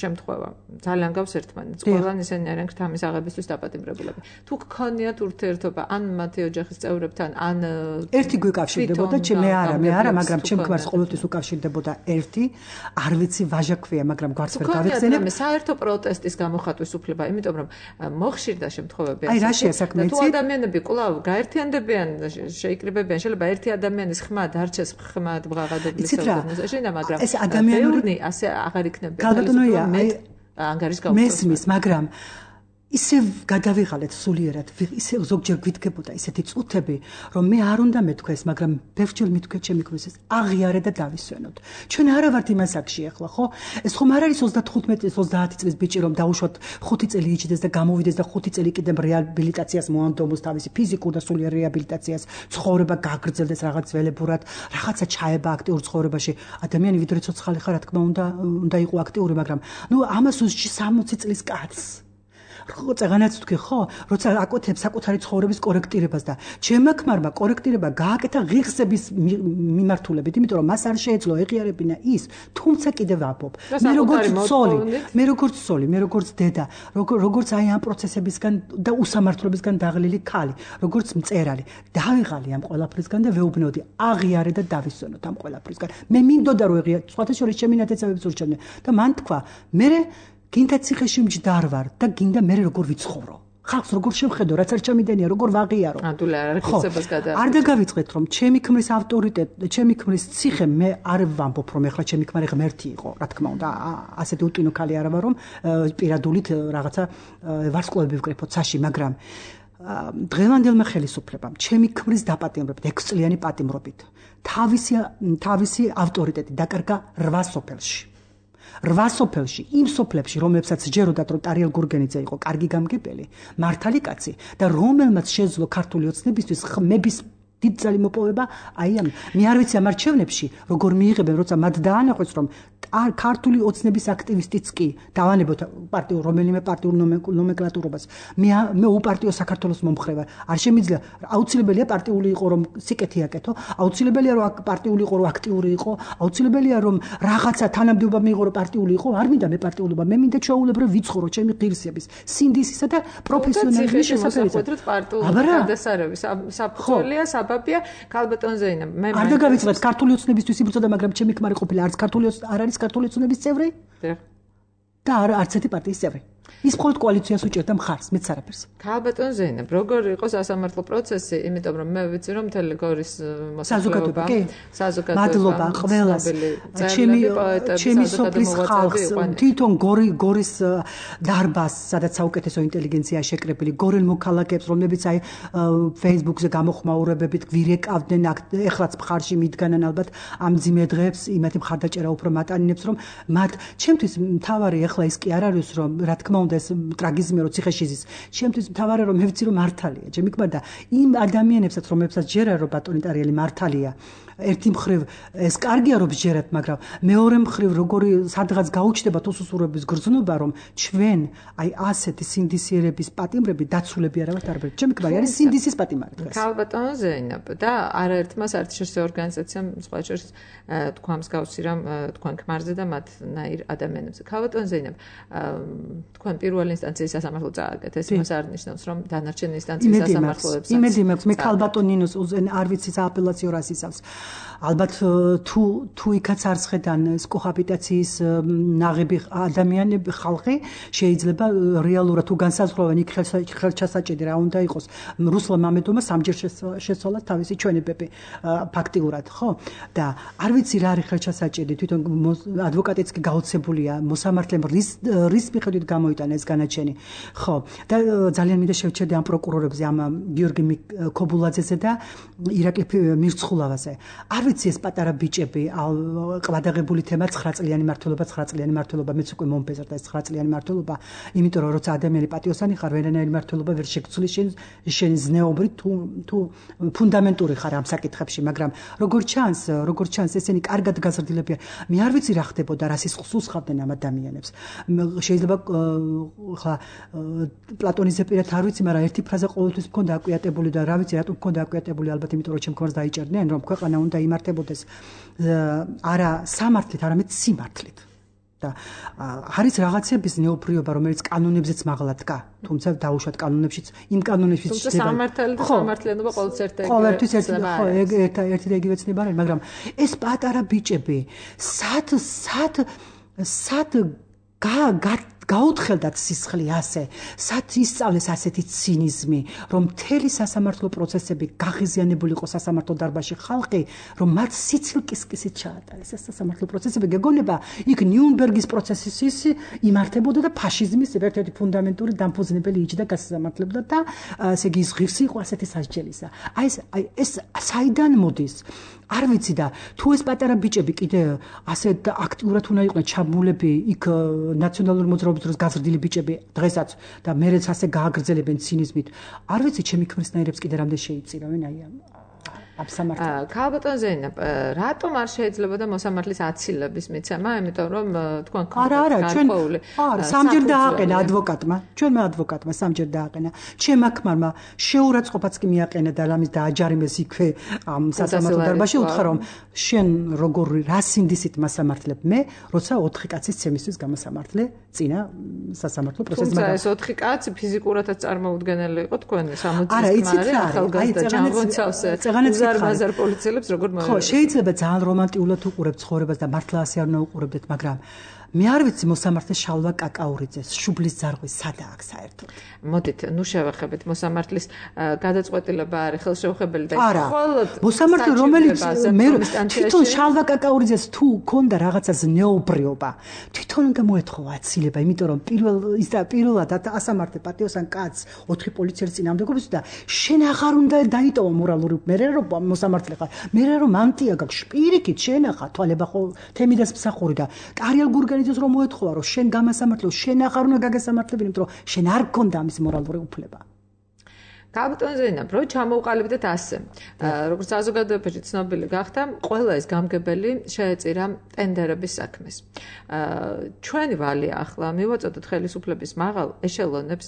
შემთხვევა ძალიან გავს ერთმანეთს ყველანი ისინი არიან ქრთამის აღებისთვის დაპატიმრებულები თუ გქონიათ ურთიერთობა ან მათი ოჯახის წევრებთან ან ერთი გვიკავშირდებოდა მე არა მე არა მაგრამ ჩემ ქმარს ყოველთვის უკავშირდებოდა ერთი არ ვიცი ვაჟა ქვია მაგრამ გვარც ვერ გავიხსენებ საერთო პროტესტის გამოხატვის უფლება იმიტომ რომ მოხშირდა შემთხვევები აი რა შეასაქმე თუ ადამიანები კვლავ გაერთიანდებიან შეიკრიბებიან შეიძლება ერთი ადამიანის ხმა დარჩეს ხმად ბღაღადების სოციალიზმში მაგრამ ეს ადამიანური ასე აღარ იქნება გალბატონოია ანგარიშ გავუწევს მესმის მაგრამ ისე გადავიღალეთ სულიერად, ისე ზოგჯერ გვითქებოდა ისეთი წუთები, რომ მე არ უნდა მეთქვეს, მაგრამ ბევრჯერ მithქვე ჩემი ქმრის აღიარე და დავისვენოთ. ჩვენ არა ვართ იმას აქში ახლა, ხო? ეს ხომ არ არის ოცდათხუთმეტი ოცდაათი წლის ბიჭი, რომ დაუშვათ ხუთი წელი იჭდეს და გამოვიდეს და ხუთი წელი კიდევ რეაბილიტაციას მოანდომოს თავისი ფიზიკურ და სულიერ რეაბილიტაციას, ცხოვრება გაგრძელდეს რაღაც ველებურად, რაღაცა ჩაება აქტიურ ცხოვრებაში. ადამიანი ვიდრე ცოცხალი ხარ, რა თქმა უნდა, უნდა იყო აქტიური, მაგრამ ნუ ამას უსჯი სამოცი წლის კაცს. ხო, წაღანაც თქვი, ხო, როცა აკეთებს საკუთარი ცხოვრების კორექტირებას და ჩემმა ქმარმა კორექტირება გააკეთა ღირსების მიმართულებით, იმიტომ რომ მას არ შეეძლო ეღიარებინა ის, თუმცა კიდევ ვაბობ. მე როგორც ცოლი, მე როგორც ცოლი, მე როგორც დედა, როგორც აი ამ პროცესებისგან და უსამართლობისგან დაღლილი ქალი, როგორც მწერალი, დავიღალი ამ ყველაფრისგან და ვეუბნოდი, აღიარე და დავისვენოთ ამ ყველაფრისგან. მე მინდოდა რომ ეღიარ, სხვათა შორის ჩემი ნათესავებიც ურჩევდნენ და მან თქვა, მე გინდა ციხეში მჯდარ ვარ და გინდა მე როგორ ვიცხოვრო. ხალხს როგორ შევხედო, რაც არ ჩამიდენია, როგორ ვაღიარო. ადულე არ გიწებას გადააჭრა. არ დაგავიწყეთ რომ ჩემი ქმრის ავტორიტეტი, ჩემი ქმრის ციხე მე არ ვამბობ რომ ეხლა ჩემი ქმარი ღმერთი იყო, რა თქმა უნდა, ასეთი უტინო ქალი არა ვარ რომ პირადულით რაღაცა ვარსკვლავები ვკრიფოთ საში, მაგრამ დღევანდელმა ხელისუფლებამ ჩემი ქმრის დაპატიმრებით, ექვსწლიანი პატიმრობით, თავისი თავისი ავტორიტეტი დაკარგა რვა სოფელში. რვა სოფელში, იმ სოფლებში, რომლებსაც ჯეროდათ, რომ ტარიელ გურგენიძე იყო კარგი გამგებელი, მართალი კაცი და რომელმაც შეძლო ქართული ოცნებისთვის ხმების დიდძალი მოპოვება, აი ამ მე არ ვიცი ამ არჩევნებში, როგორ მიიღებენ, როცა მათ დაანახვეს, რომ ქართული ოცნების აქტივისტიც კი დავანებოთ პარტიულ რომელიმე პარტიულ ნომენკლატურობას. მე მე უპარტიო საქართველოს მომხრე ვარ. არ შემიძლია, აუცილებელია პარტიული იყო, რომ სიკეთი აკეთო, აუცილებელია რომ პარტიული იყო, რომ აქტიური იყო, აუცილებელია რომ რაღაცა თანამდებობა მიიღო, რომ პარტიული იყო, არ მინდა მე პარტიულობა, მე მინდა ჩვეულებრივ ვიცხოვრო ჩემი ღირსების, სინდისისა და პროფესიონალიზმის შესაძლებლობებით. პარტიული გადასარევი საფუძველია, საბაბია, ქალბატონ ზეინა. მე არ დაგავიწყდეთ ქართული ოცნებისთვის იბრძოდა, მაგრამ ჩემი ქმარი ყოფილა არც ქართული არ არის ქართული ოცნების წევრი და არც ერთი პარტიის წევრი. ის მხოლოდ კოალიციას უჭერდა მხარს, მეც არაფერს. ქალბატონ ზეინა, როგორ იყო სასამართლო პროცესი, იმიტომ რომ მე ვიცი რომ მთელი გორის საზოგადოება, კი, საზოგადოება, მადლობა ყველას, ჩემი ჩემი სოფლის ხალხს, თვითონ გორი გორის დარბაზს, სადაც საუკეთესო ინტელიგენცია შეკრებილი, გორელ მოქალაქეებს, რომლებიც აი Facebook-ზე გამოხმაურებებით გვირეკავდნენ, ეხლაც მხარში მიდგანან ალბათ ამ ძიმე დღეებს, იმათი მხარდაჭერა უფრო მატანინებს, რომ მათ ჩემთვის მთავარი ეხლა ის კი არ არის რომ რა თქმა უნდა ეს ტრაგიზმი რო ციხეში ზის. ჩემთვის მთავარი რომ მე ვიცი რომ მართალია. ჩემი ქმარ და იმ ადამიანებსაც რომლებსაც ჯერა რომ ბატონი ტარიელი მართალია. ერთი მხრივ ეს კარგია რომ ჯერათ, მაგრამ მეორე მხრივ როგორი სადღაც გაუჩნდება უსუსურების გრძნობა რომ ჩვენ აი ასეთი სინდისიერების პატიმრები დაცულები არა ვართ არაფერი. ჩემი ქმარი არის სინდისის პატიმარი დღეს. ქალბატონ ზეინა და არაერთმა საერთაშორისო ორგანიზაციამ სხვა შორის თქვა მსგავსი რამ თქვენ ქმარზე და მათნაირ ადამიანებზე. ქალბატონ ზეინა თქვენ პირველ ინსტანციის სასამართლო წააგეთ. ეს იმას არ ნიშნავს რომ დანარჩენ ინსტანციის სასამართლოებსაც. იმედი მაქვს, მე ქალბატონ ნინოს არ ვიცი სააპელაციო რას ისავს. ალბათ თუ თუ იქაც არც ხედან ეს კოჰაბიტაციის ნაღები ადამიანები ხალხი შეიძლება რეალურად თუ განსაზღვრავენ იქ ხელჩასაჭედი რა უნდა იყოს რუსლა მამედომა სამჯერ შეცვალა თავისი ჩვენებები ფაქტიურად ხო და არ ვიცი რა არის ხელჩასაჭედი თვითონ ადვოკატიც კი გაოცებულია მოსამართლემ რის რის მიხედვით გამოიტანა ეს განაჩენი ხო და ძალიან მინდა შევჩერდე ამ პროკურორებზე ამ გიორგი ქობულაძეზე და ირაკლი მირცხულავაზე არ ვიცი ეს პატარა ბიჭები ყვადაღებული თემა ცხრა წლიანი მართლობა ცხრა წლიანი მართლობა მეც უკვე მომბეზრდა ეს ცხრა წლიანი მართლობა იმიტომ რომ როცა ადამიანი პატიოსანი ხარ ვერანაირი მართლობა ვერ შეგცვლი შენ შენ ზნეობრი თუ თუ ფუნდამენტური ხარ ამ საკითხებში მაგრამ როგორ ჩანს როგორ ჩანს ესენი კარგად გაზრდილებიან მე არ ვიცი რა ხდებოდა რა სისხლს ხავდნენ ამ ადამიანებს შეიძლება ხა პლატონიზე პირად არ ვიცი მაგრამ ერთი ფრაზა ყოველთვის მქონდა აკვიატებული და რა ვიცი რატომ მქონდა აკვიატებული ალბათ იმიტომ რომ ჩემ ქონს დაიჭერდნენ რომ ქვეყანა უნდა იმართებოდეს არა სამართლით, არამედ სიმართლით. და არის რაღაცების ნეოფრიობა, რომელიც კანონებზეც მაღლა დგა, თუმცა დაუშვათ კანონებშიც, იმ კანონებშიც თუმცა სამართალი და სამართლიანობა ყოველთვის ერთ ყოველთვის ერთ ხო, ერთი და იგივე ცნება არის, მაგრამ ეს პატარა ბიჭები, სად სად სად გაუთხელდათ სისხლი ასე, სად ისწავლეს ასეთი ცინიზმი, რომ მთელი სასამართლო პროცესები გაღიზიანებული იყო სასამართლო დარბაზში ხალხი, რომ მათ სიცილკისკისით ჩაატარეს ეს სასამართლო პროცესები. გეგონება იქ ნიუნბერგის პროცესის იმართებოდა და ფაშიზმის ერთ-ერთი ფუნდამენტური დამფუძნებელი იჯდა გასამართლებდა და ესე იგი ღირსი იყო ასეთი სასჯელისა. აი ეს აი ეს საიდან მოდის? არ ვიცი და თუ ეს პატარა ბიჭები კიდე ასე აქტიურად უნდა იყვნენ ჩაბმულები იქ ნაციონალური მოძრაობის დროს გაზრდილი ბიჭები დღესაც და მერეც ასე გააგრძელებენ ცინიზმით. არ ვიცი ჩემი ქმრისნაირებს კიდე რამდენ შეიწირავენ აი აა ქალბატონ ზეინა, რატომ არ შეიძლებოდა მოსამართლის აცილების მიცემა, იმიტომ რომ თქვენ არა არა ჩვენ არა სამჯერ დააყენა ადვოკატმა, ჩვენმა ადვოკატმა სამჯერ დააყენა. ჩემმა ქმარმა შეურაცხყოფაც კი მიაყენა და რამის დააჯარიმეს იქვე ამ სასამართლო დარბაზში, უთხრა რომ შენ როგორ რა სინდისით მასამართლებ მე, როცა ოთხი კაცის ცემისთვის გამოსამართლე წინა სასამართლო პროცესში. თუმცა ეს ოთხი კაცი ფიზიკურადაც წარმოუდგენელი იყო თქვენ სამოცის ქმარი, ახალგაზრდა ჯანღონცავსე. ზარ პოლიციელებს როგორ მოერგებათ? ხო, შეიძლება ძალიან რომანტიულად უყურებთ ცხოვრებას და მართლა ასე არ უნდა უყურებდეთ, მაგრამ მე არ ვიცი მოსამართლე შალვა კაკაურიძეს შუბლის ძარღვი სადა აქვს საერთოდ. მოდით, ნუ შევეხებით მოსამართლის გადაწყვეტილება არის ხელშეუხებელი და მხოლოდ მოსამართლე რომელიც მე თვითონ შალვა კაკაურიძეს თუ ქონდა რაღაცა ზნეობრიობა, თვითონ უნდა მოეთხოვა აცილება, იმიტომ რომ პირველ ის და პირველად ასამართლე პატიოსან კაცს ოთხი პოლიციელის წინააღმდეგობის და შენ აღარ უნდა დაიტოვა მორალური მერე რომ მოსამართლე ხარ. მერე რომ მანტია გაქვს, პირიქით შენახა თვალება ხო თემიდას მსახური და კარიელ გურგენი რომ მოეთხოვა რომ შენ გამასამართლო, შენ აღარ უნდა გაგასამართლებინო, იმიტომ რომ შენ არ გქონდა ამის მორალური უფლება. ქალბატონ ზეინა, რო ჩამოვყალიბდეთ ასე, როგორც საზოგადოებაში ცნობილი გახდა, ყველა ეს გამგებელი შეეწირა ტენდერების საქმეს. ჩვენი ვალია ახლა მივაწოდოთ ხელისუფლების მაღალ ეშელონებს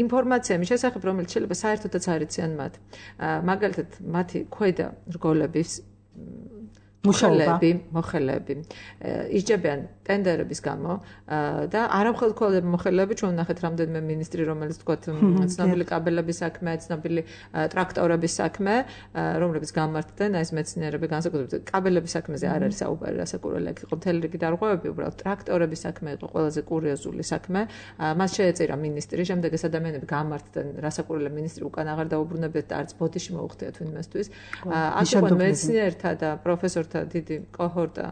ინფორმაციების შესახებ, რომელიც შეიძლება საერთოდაც არ იციან მათ. მაგალითად, მათი ქვედა რგოლების მოხელები, მოხელები ისჯებიან ტენდერების გამო და არამხელმქველები მოხელები ჩვენ ვნახეთ რამდენიმე მინისტრი რომელიც თქვათ ცნობილი კაბელების საქმე, ცნობილი ტრაქტორების საქმე, რომლებიც გამართდნენ აი ეს მეცნიერები განსაკუთრებით კაბელების საქმეზე არ არის საუბარი, რასაკურველი იქ იყო მთელი რიგი დარღვევები, უბრალოდ ტრაქტორების საქმე იყო ყველაზე კურიოზული საქმე. მას შეეწირა მინისტრი, შემდეგ ეს ადამიანები გამართდნენ, რასაკურველი მინისტრი უკან აღარ დაუბრუნებიათ და არც ბოდიში მოუხდიათ ვინმესთვის. აქ იყო მეცნიერთა და პროფესორთა დიდი კოჰორტა,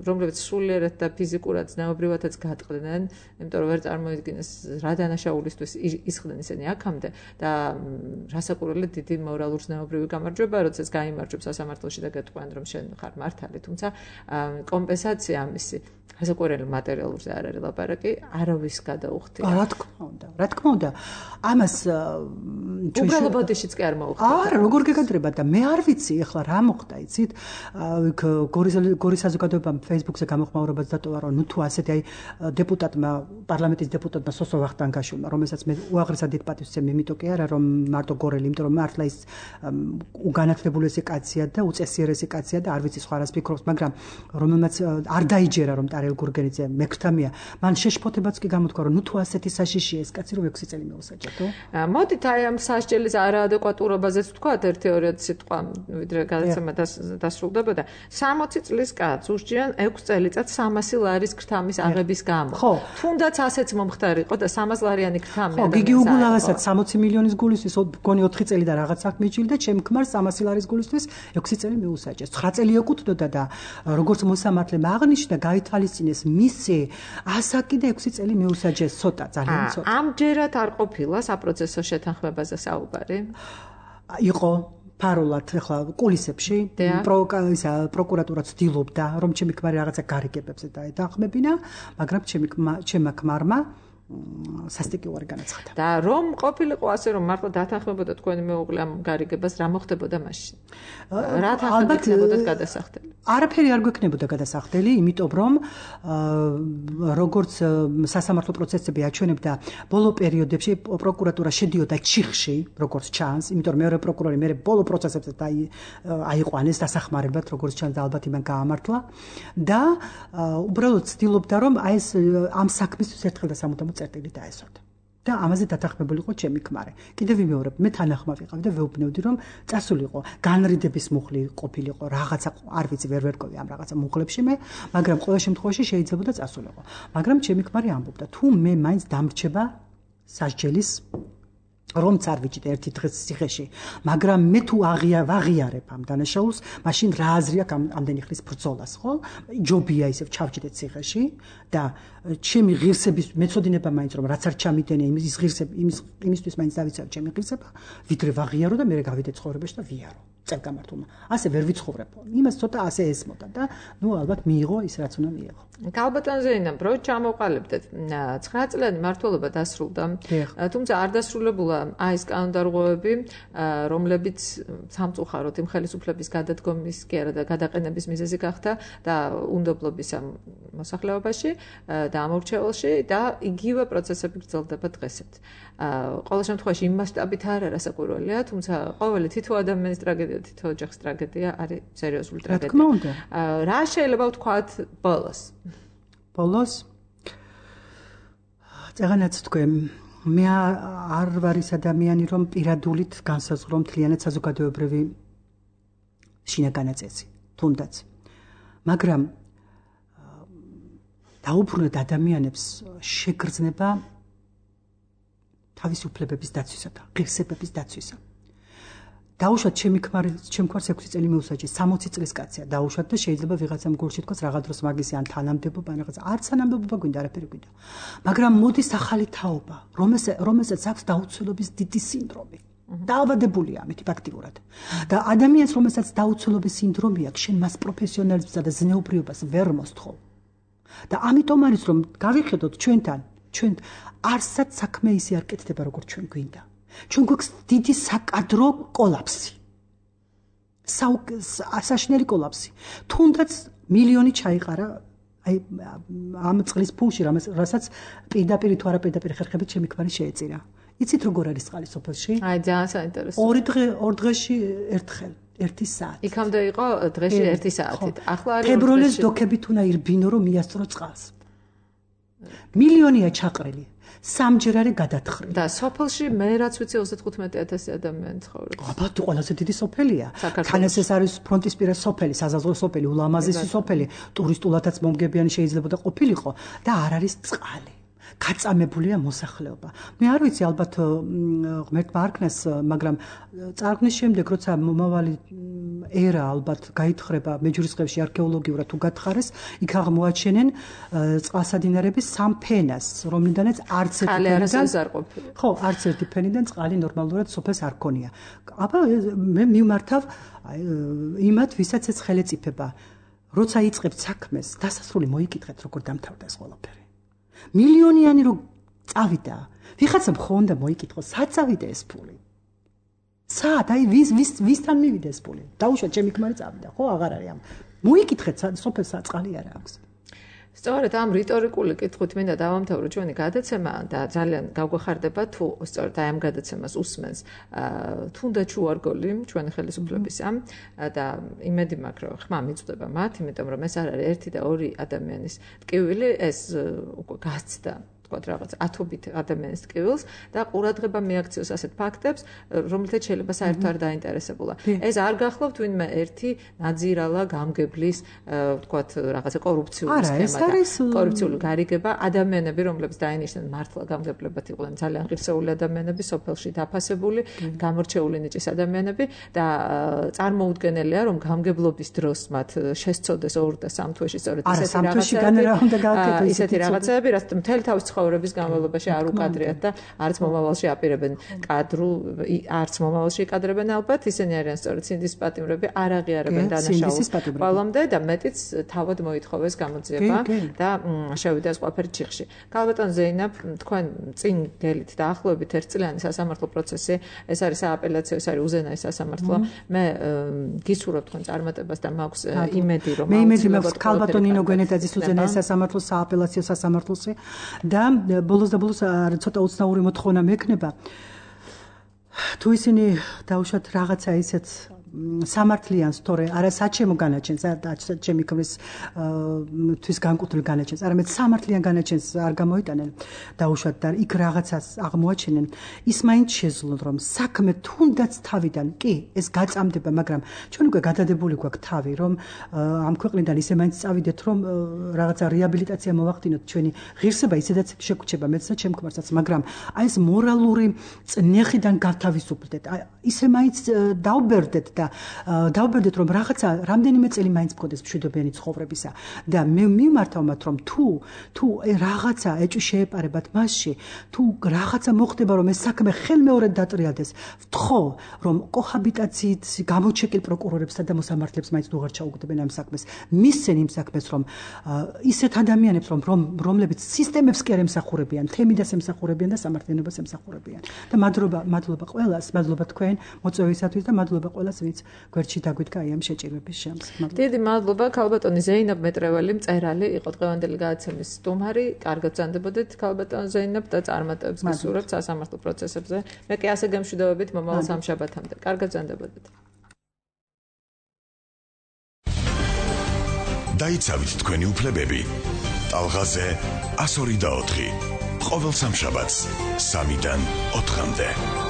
რომლებიც სულიერად და ფიზიკურად ზნეობრივადაც გატყდნენ, იმიტომ რომ ვერ წარმოიდგინეს რა დანაშაულისთვის ისხდნენ ისინი აქამდე და რასაკურველი დიდი მორალურ ზნეობრივი გამარჯვება, როდესაც გაიმარჯვებს სასამართლოში და გეტყვიან რომ შენ ხარ მართალი, თუმცა კომპენსაცია ამისი რასაკურველი მატერიალურზე არ არის ლაპარაკი, არავის გადაუხდია. რა თქმა უნდა, რა თქმა უნდა. ამას უბრალოდ ბოდიშიც კი არ მოუხდა. არა, როგორ გეკადრება და მე არ ვიცი ახლა რა მოხდა, იცით? გორის საზოგადოებამ Facebook-ზე გამოხმაურებას დატოვა, რომ ნუ თუ ასეთი აი დეპუტატმა, პარლამენტის დეპუტატმა სოსო ვახტანგაშვილმა, რომელსაც მე უაღრესად დიდ პატივს ვცემ, იმიტომ კი არა რომ მარტო გორელი, იმიტომ რომ მართლა ის უგანათლებულესი კაცია და უწესიერესი კაცია და არ ვიცი სხვა რას ფიქრობს, მაგრამ რომელმაც არ დაიჯერა რომ ტარიელ გურგენიძე მექრთამია, მან შეშფოთებაც კი გამოთქვა, რომ ნუ თუ ასეთი საშიშია ეს კაცი რომ ექვსი წელი მეუსაჯეთო. მოდით აი ამ სასჯელის არაადეკვატურობაზეც ვთქვათ ერთი-ორი სიტყვა, ვიდრე გადაცემა დასრულდებოდა. სამოცი წლის კაცს უსჯიან ექვს წელიწადს სამასი ლარის ქრთამის აღების გამო. თუნდაც ასეც მომხდარიყო და სამას ლარიანი ქრთამი ადამიანს. ხო, გიგი უგულავასაც სამოცი მილიონის გულისთვის მგონი ოთხი წელი და რაღაც საქმე იჭირდა, ჩემ ქმარს სამასი ლარის გულისთვის ექვსი წელი მიუსაჯეს. ცხრა წელი ეკუთვნოდა და როგორც მოსამართლემ აღნიშნა, გაითვალისწინეს მისი ასაკი და ექვსი წელი მიუსაჯეს, ცოტა, ძალიან ცოტა. ამჯერად არ ყოფილა საპროცესო შეთანხმებაზე საუბარი? იყო ფარულად ახლა კულისებში პროკურატურა ცდილობდა რომ ჩემი ქმარი რაღაცა გარიგებებზე დაეთანხმებინა, მაგრამ ჩემი ჩემმა ქმარმა სასტიკი უარი განაცხადა. და რომ ყოფილიყო ასე რომ მართლა დათანხმებოდა თქვენი მეუღლე ამ გარიგებას, რა მოხდებოდა მაშინ? რა თანხმდებოდა გადასახდელი? არაფერი არ გვექნებოდა გადასახდელი, იმიტომ რომ როგორც სასამართლო პროცესები აჩვენებდა, ბოლო პერიოდებში პროკურატურა შედიოდა ჩიხში, როგორც ჩანს, იმიტომ რომ მეორე პროკურორი მე ბოლო პროცესებზე აიყვანეს დასახმარებლად, როგორც ჩანს და ალბათ იმან გაამართლა და უბრალოდ ცდილობდა რომ აი ეს ამ საქმისთვის ერთხელ და სამუდამოდ წერტილი დაესვათ. და ამაზე დათანხმებულიყო ჩემი ქმარი. კიდევ ვიმეორებ, მე თანახმად ვიყავი და ვეუბნევდი, რომ წასულიყო, განრიდების მუხლი ყოფილიყო, რაღაცა არ ვიცი, ვერ ვერკოვი ამ რაღაცა მუხლებში მე, მაგრამ ყოველ შემთხვევაში შეიძლებოდა წასულიყო. მაგრამ ჩემი ქმარი ამბობდა, თუ მე მაინც დამრჩება სასჯელის რომ წარვიჭით ერთი დღეს ციხეში, მაგრამ მე თუ აღია ვაღიარებ ამ დანაშაულს, მაშინ რა აზრი აქვს ამდენი ხნის ბრძოლას, ხო? ჯობია ისევ ჩავჭიდეთ ციხეში და ჩემი ღირსების მეწოდინება მაინც რომ რაც არ ჩამიდენე იმის ღირსები იმის იმისთვის მაინც დავიცავ ჩემი ღირსება, ვიდრე ვაღიარო და მე გავიდე ცხოვრებაში და ვიარო. წელგამართულმა. ასე ვერ ვიცხოვრებო. იმას ცოტა ასე ესმოდა და ნუ ალბათ მიიღო ის რაც უნდა მიიღო. ქალბატონ ზეინაბ, რო ჩამოყალიბდეთ, ცხრა წლიანი მმართველობა დასრულდა. თუმცა არ დასრულებულა აი ეს კანონდარღვევები, რომლებიც სამწუხაროდ იმ ხელისუფლების გადადგომის კი არა და გადაყენების მიზეზი გახდა და უნდობლობის ამ მოსახლეობაში და ამორჩეულში და იგივე პროცესები გრძელდება დღესაც. ყოველ შემთხვევაში იმ მასშტაბით არ არა საკვირველია, თუმცა ყოველი თითო ადამიანის ტრაგედია, თითო ოჯახის ტრაგედია არის სერიოზული ტრაგედია. რა თქმა უნდა. რა შეიძლება ვთქვათ ბოლოს? ბოლოს წაღანაც თქვენ, მე არ ვარ ის ადამიანი, რომ პირადულით განსაზღვრო მთლიანად საზოგადოებრივი შინაგანაწესი, თუნდაც. მაგრამ დაუბრუნდეთ ადამიანებს შეგრძნება თავისი უფლებების დაცვისა და ღირსებების დაცვისა. დაუშვათ ჩემი ქმარი, ჩემ ქმარს ექვსი წელი მიუსაჯეს, სამოცი წლის კაცია დაუშვათ და შეიძლება ვიღაცამ გულში თქვას რაღაც დროს მაგისი ან თანამდებობა ან რაღაც არც თანამდებობა გვინდა, არაფერი გვინდა. მაგრამ მოდის ახალი თაობა, რომელსაც აქვს დაუცველობის დიდი სინდრომი. დაავადებულია ამით ფაქტიურად. და ადამიანს, რომელსაც დაუცველობის სინდრომი აქვს, შენ მას პროფესიონალიზმსა და ზნეობრიობას ვერ მოსთხოვ. და ამიტომ არის რომ გავიხედოთ ჩვენთან, ჩვენ არსად საქმე ისე არ კეთდება როგორც ჩვენ გვინდა. ჩვენ გვაქვს დიდი საკადრო კოლაფსი. საშნელი კოლაფსი. თუნდაც მილიონი ჩაიყარა აი ამ წყლის ფულში, რასაც პირდაპირ თუ არა პირდაპირ ხერხებით ჩემი ქმარი შეეწირა. იცით როგორ არის წყალი სოფელში? აი ძალიან საინტერესო. ორი დღე ორ დღეში ერთხელ. ერთი საათი. იქამდე იყო დღეში ერთი საათით. ახლა არის თებროლეს დოქებით უნდა ირბინო რომ მიასწრო წყალს. მილიონია ჩაყრილი. სამჯერ არის გადათხრი. და სოფელში მე რაც ვიცი ოცდათხუთმეტი ათასი ადამიანი ცხოვრობს. აბა თუ ყველაზე დიდი სოფელია. თან ეს არის ფრონტისპირა სოფელი, საზაზღვრო სოფელი, ულამაზესი სოფელი, ტურისტულადაც მომგებიანი შეიძლება და ყოფილიყო და არ არის წყალი. გაწამებულია მოსახლეობა. მე არ ვიცი ალბათ ღმერთმა არქნას, მაგრამ წარღვნის შემდეგ როცა მომავალი ერა ალბათ გაითხრება მეჯვრისწყლებში არქეოლოგიურად თუ გათხარეს, იქ აღმოაჩენენ წყალსადინარების სამ ფენას, რომლიდანაც არც ერთი ფენიდან ხო, არც ერთი ფენიდან წყალი ნორმალურად სოფელს არ ქონია. აბა მე მიმართავ იმათ, ვისაც ეს ხელეწიფება, როცა იწყებთ საქმეს, დასასრული მოიკითხეთ, როგორ დამთავრდა ეს ყველაფერი. მილიონიანი რო წავიდა. ვიღაცამ ხო უნდა მოიკითხოს, სად წავიდა ეს ფული? სად? აი ვის ვის ვისთან მივიდა ეს ფული? დაუშვათ ჩემი ქმარი წავიდა, ხო, აღარ არის ამ. მოიკითხეთ, სოფელს წყალი არ აქვს. სწორედ ამ რიტორიკული კითხვით მინდა დავამთავრო ჩვენი გადაცემა და ძალიან გავგვეხარდება თუ სწორედ აი ამ გადაცემას უსმენს თუნდაც უარგოლი ჩვენი ხელისუფლებისა და იმედი მაქვს რომ ხმა მიწდება მათ, იმიტომ რომ ეს არ არის ერთი და ორი ადამიანის ტკივილი, ეს უკვე გასცდა თქვათ რაღაც ათობით ადამიანის ტკივილს და ყურადღება მიაქციოს ასეთ ფაქტებს, რომელთაც შეიძლება საერთოდ არ დაინტერესებულა. ეს არ გახლავთ ვინმე ერთი ნაძირალა გამგებლის თქვათ რაღაცა კორუფციული სქემა და კორუფციული გარიგება, ადამიანები, რომლებიც დაინიშნენ მართლა გამგებლებად იყვნენ ძალიან ღირსეული ადამიანები, სოფელში დაფასებული, გამორჩეული ნიჭის ადამიანები და წარმოუდგენელია, რომ გამგებლობის დროს მათ შესწოდეს ორ და სამ თვეში სწორედ ისეთი რაღაცები, რაც მთელი თავის ცხოვრების განმავლობაში არ უკადრიათ და არც მომავალში აპირებენ კადრულ, არც მომავალში იკადრებენ ალბათ, ისინი არიან სწორედ სინდის პატიმრები, არ აღიარებენ დანაშაულს ყველამდე და მეტიც თავად მოითხოვეს გამოძიება და შევიდეს ყველაფერი ჩიხში. ქალბატონ ზეინაბ, თქვენ წინ გელით დაახლოებით ერთწლიანი სასამართლო პროცესი, ეს არის სააპელაციო, ეს არის უზენაეს სასამართლო. მე გისურვებ თქვენ წარმატებას და მაქვს იმედი, რომ მე იმედი მაქვს ქალბატონ ნინო გვენეტაძის უზენაეს სასამართლო, სააპელაციო სასამართლოსი და ბოლოს და ბოლოს ცოტა უცნაური მოთხოვნა მექნება. თუ ისინი დაუშვათ რაღაცა ისეთ სამართლიანს თორე არა საჩემო განაჩენს, არა ჩემი ქმრის თვის განკუთვნილ განაჩენს, არამედ სამართლიან განაჩენს არ გამოიტანენ დაუშვათ და იქ რაღაცას აღმოაჩენენ, ის მაინც შეძლონ რომ საქმე თუნდაც თავიდან კი ეს გაწამდება, მაგრამ ჩვენ უკვე გადადებული გვაქვს თავი, რომ ამ ქვეყნიდან ისე მაინც წავიდეთ, რომ რაღაცა რეაბილიტაცია მოვახდინოთ, ჩვენი ღირსება ისედაც შეგუჩება მეც და ჩემ ქმარსაც, მაგრამ აი ეს მორალური წნეხიდან გათავისუფლდეთ, ისე მაინც დავბერდეთ და დავბერდეთ რომ რაღაცა რამდენიმე წელი მაინც მქონდეს მშვიდობიანი ცხოვრებისა და მე მიმართავ მათ რომ თუ თუ რაღაცა ეჭვი შეეპარებათ მასში, თუ რაღაცა მოხდება რომ ეს საქმე ხელმეორედ დატრიალდეს, ვთხოვ რომ კოჰაბიტაციით გამოჩეკილ პროკურორებსა და მოსამართლეებს მაინც უღარ ჩაუგდებენ ამ საქმეს, მისცენ იმ საქმეს რომ ისეთ ადამიანებს რომ რომლებიც სისტემებს კი არ ემსახურებიან, თემიდას ემსახურებიან და სამართლიანობას ემსახურებიან და მადლობა მადლობა ყველას, მადლობა თქვენ მოწვევისათვის და მადლობა ყველას ვინც გვერდში დაგვიდგა ამ შეჭირვების შემს. დიდი მადლობა ქალბატონი ზეინაბ მეტრეველი მწერალი იყო დღევანდელი გადაცემის სტუმარი. კარგად ბრძანდებოდეთ ქალბატონ ზეინაბ და წარმატებებს გისურვებთ სასამართლო პროცესებზე. მე კი ასე გემშვიდობებით მომავალ სამშაბათამდე. კარგად ბრძანდებოდეთ. დაიცავით თქვენი უფლებები. ტალღაზე ასორი და ოთხი. ყოველ სამშაბათს სამიდან ოთხამდე.